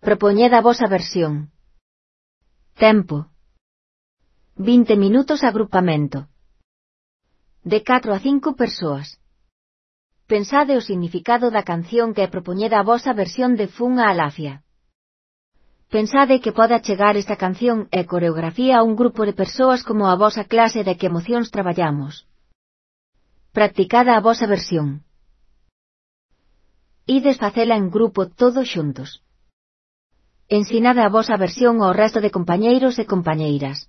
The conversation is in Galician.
Propoñed a vosa versión. Tempo. 20 minutos agrupamento. De 4 a 5 persoas. Pensade o significado da canción que propoñeda a vosa versión de Fun a Alafia. Pensade que pode achegar esta canción e coreografía a un grupo de persoas como a vosa clase de que emocións traballamos. Practicada a vosa versión. Ides facela en grupo todos xuntos. Ensinade a vosa versión ao resto de compañeiros e compañeiras.